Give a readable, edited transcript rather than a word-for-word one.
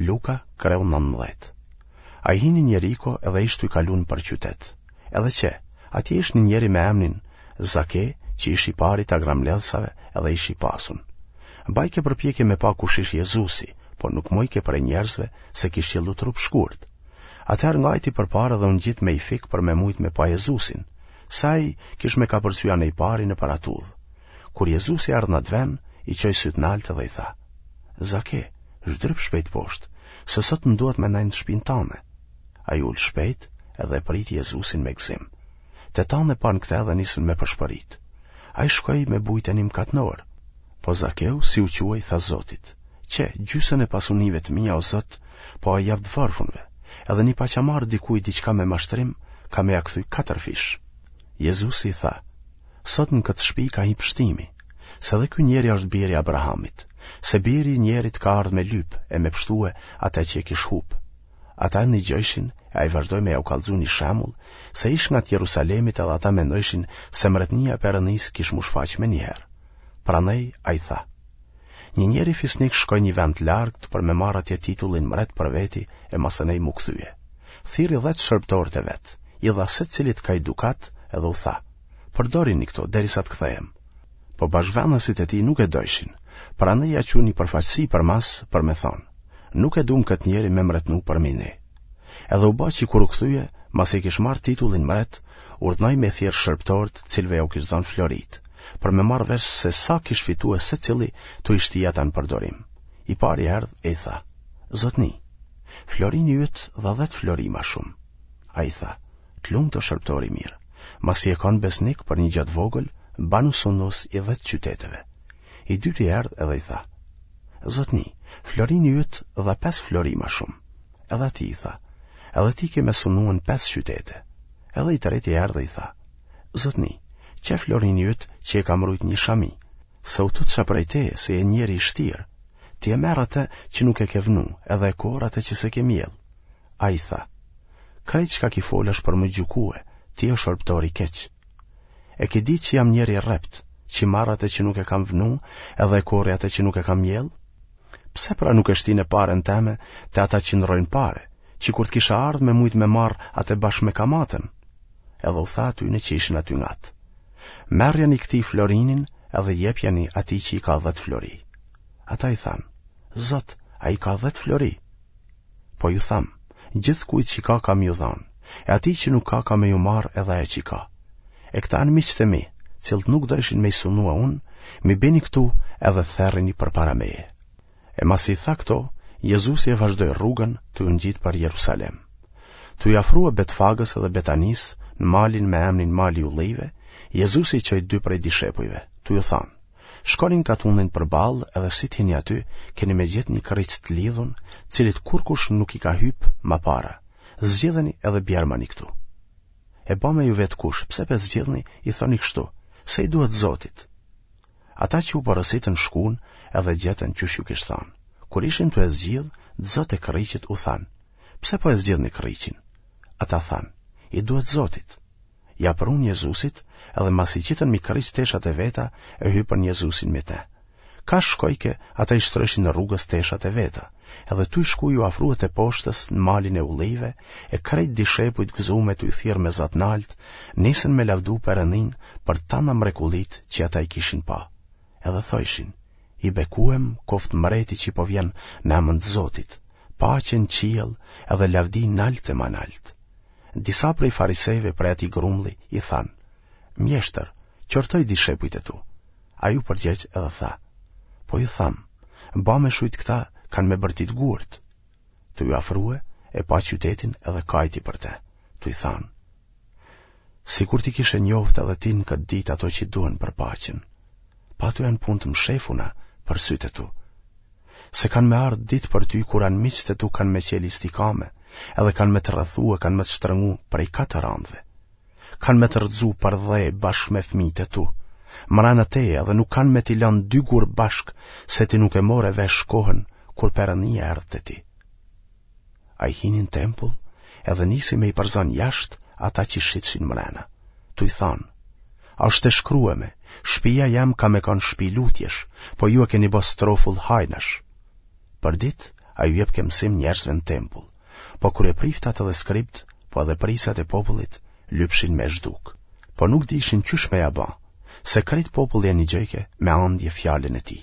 Luka, kreu 19. Ai hini n'Jeriko edhe ish tuj kalu nëpër qytet. Edhe qe, atje ish një njeri me emnin Zake, që ish i pari i tagrambledhsave edhe ish i pasun. Bajke përpjekje me pa kush ish Jezusi, por nuk mujke prej njerëzve se kish qëllu trupshkurt. Atëherë ngajti përpara dhe u ngjit me i fik për me mujt me pa Jezusin, se ai kish me kapërcy anejpari nëpër atë udhë. Kur Jezusi erdh në atë ven, i çoi sytë nalt dhe i tha: Zake, zhdryp shpejt poshtë, se sot më duhet me nejt në shpinë tane. Ai u ul shpejt edhe e priti Jezusin me gëzim. Të tanë e panë këtë dhe nisën me pëshpërit. Ai shkoi me bujt te një mkatnor. Po Zakeu, si u çua, i tha Zotit, Qe, gjysën e pasunive të mia, o Zot, po ua jap të varfunve, edhe ni paça marrë dikujt diçka me mashtrim, kam me ia kthy katërfish. Jezusi i tha, Sot në këtë shpi ka hi pshtimi, se edhe ky njeri është bir i Abrahamit, se biri i njerit ka ardhë me lyp e me pshtue atë që e kish hup. Ata e nigjojshin e ai vazhdoi me jau kallxu një shembull, se ish ngat Jerusalemit edhe ata mendojshin se mretnia e Perëndisë kish m'u shfaq menjëherë. Prandaj ai tha: Një njeri fisnik shkoi një vend të largët për me marrë atje titullin mret për veti e masanej m'u kthye. Thirri dhetë shërbëtorët e vet, i dha secilit ka i dukat edhe u tha: Përdorini këto derisa të kthehem. Po bashkëvendasit e tij nuk e dojshin, prandaj ia çunë një përfaqësi përmas për me thonë: Nuk e dumë këtë njeri me mretnu përmi ne. Edhe u ba që kur u kthye, masi e kish marrë titullin mret, urdhnoi me thirrë shërbëtorët të cilëve jau kish dhënë floritë, për me marrë vesh se sa kish fitue secili tu i shti ata në përdorim. I pari erdh e i tha, Zotni, florini yt dha dhetë flori ma shumë. Ai tha, të lumtë o shërbëtor i mirë, masi je kanë besnik për një gjë të vogël, banu sundues i dhetë qyteteve. I dyti erdh edhe i tha, Zotni, florini yt dha pesë flori ma shumë. Edhe atij i tha, edhe ti ke me sunue në pesë qytete. Edhe i treti erdh e i tha, Zotni, qe florini yt që e kam rujt një shami, se u tutsha prej teje se je njeri i shtirë, ti e merr atë që nuk e ke vnu, edhe e korr atë që s'e ke mjellë. Ai tha, krejt çka ki folë është për më gjykue, ti o shërbëtor i keq. E ke ditë që jam njeri i rreptë, që marr atë që nuk e kam vnu, edhe e korri atë që nuk e kam mjellë? Pse pra nuk e shtine paren teme te ata që ndrrojnë pare, që kur të kisha ardhë me mujtë me marrë atë bashkë me kamatën? Edhe u tha atyne që ishin aty ngat. Merrjani këtij florinin edhe jepjani atij që i ka dhetë flori. Ata i thanë, Zot, ai ka dhetë flori. Po ju tham, gjithkujt që ka ka me ju dhanë, e atij që nuk ka ka me ju marrë edhe ajo që ka. E këta janë miqtë e mi, cilët nuk dojshin me i sunue unë, m'i bini këtu edhe therrini përpara meje. E masi i tha këto, Jezusi e vazhdoi rrugën tuj u ngjitë për Jerusalem. Tuj u afrue Betfagës edhe Betanisë, në malin me emnin Mali i Ullijve, Jezusi i çoi dy prej dishepujve, tuj u thanë, Shkoni në katunin përballë edhe si të hini aty, keni me gjetë një krriq të lidhun, cilit kurkush nuk i ka hypë ma para. Zgjidheni edhe bjermani këtu. E ba me ju vetë kush, pse pe zgjidhni, i thoni kështu, se i duhet Zotit. Ata që u porositën shkun edhe gjetën qysh ju kish thanë. Kur ishin tu e zgjidhë, të zotët e krriqit u thanë, pse po e zgjidhni krriqin? Ata thanë, i duhet Zotit. Ia prunë Jezusit, edhe masi qitën mi krriq teshat e veta, e hypën Jezusin mi te. Ka shkojke, ata i shtrojshin rrugës teshat e veta, edhe tuj shku iu afrue teposhtës në malin e ullijve, e krejt dishepujt gëzume tuj thirrë me za t'naltë, nisën me lavdu Perëndinë për tana mrekullitë që ata i kishin pa. Edhe thojshin, i bekuem koftë mreti që po vjen në emën të Zotit, paqe në qiell edhe lavdi nalt e ma nalt. Disa prej farisejve prej atij grumulli i thanë, Mjeshtër, qortoji dishepujt e tu. Ai u përgjegj edhe tha, Po ju tham, ba me shujt këta kanë me bërtit gurët. Tuj u afrue, e pa qytetin edhe kajti për te, tuj thanë, Sikur t'i kishe njohtë edhe ti në këtë ditë ato që duhen për paqen, po ato janë punë të mshefuna për sytë e tu. Se kanë me ardhë ditë për ty kur anmiqtë e tu kanë me qelë istikame, edhe kanë me të rrethu e kanë me të shtrëngu prej katër anëve. Kanë me të rrëzu për dhe bashkë me fëmijët e tu. Mrena teje edhe nuk kanë me t'i lënë dy gurë bashkë se ti nuk e more vesh kohën kur Perëndia erdh te ti. Ai hini në tempull edhe nisi me i përzanë jashtë ata që shitshin mrena. Tuj thanë, Asht e shkrueme, shpia jem ka me kanë shpi lutjesh, po ju e keni bo strofull hajnash. Për ditë, Ai u jepke mësim njerëzve në tempull. Po kryepriftat edhe skribët, po edhe prijësat e popullit, lypshin me e zhdukë. Po nuk dijshin qysh me ia ba, se krejt populli e nigjojke me andje fjalën e tij.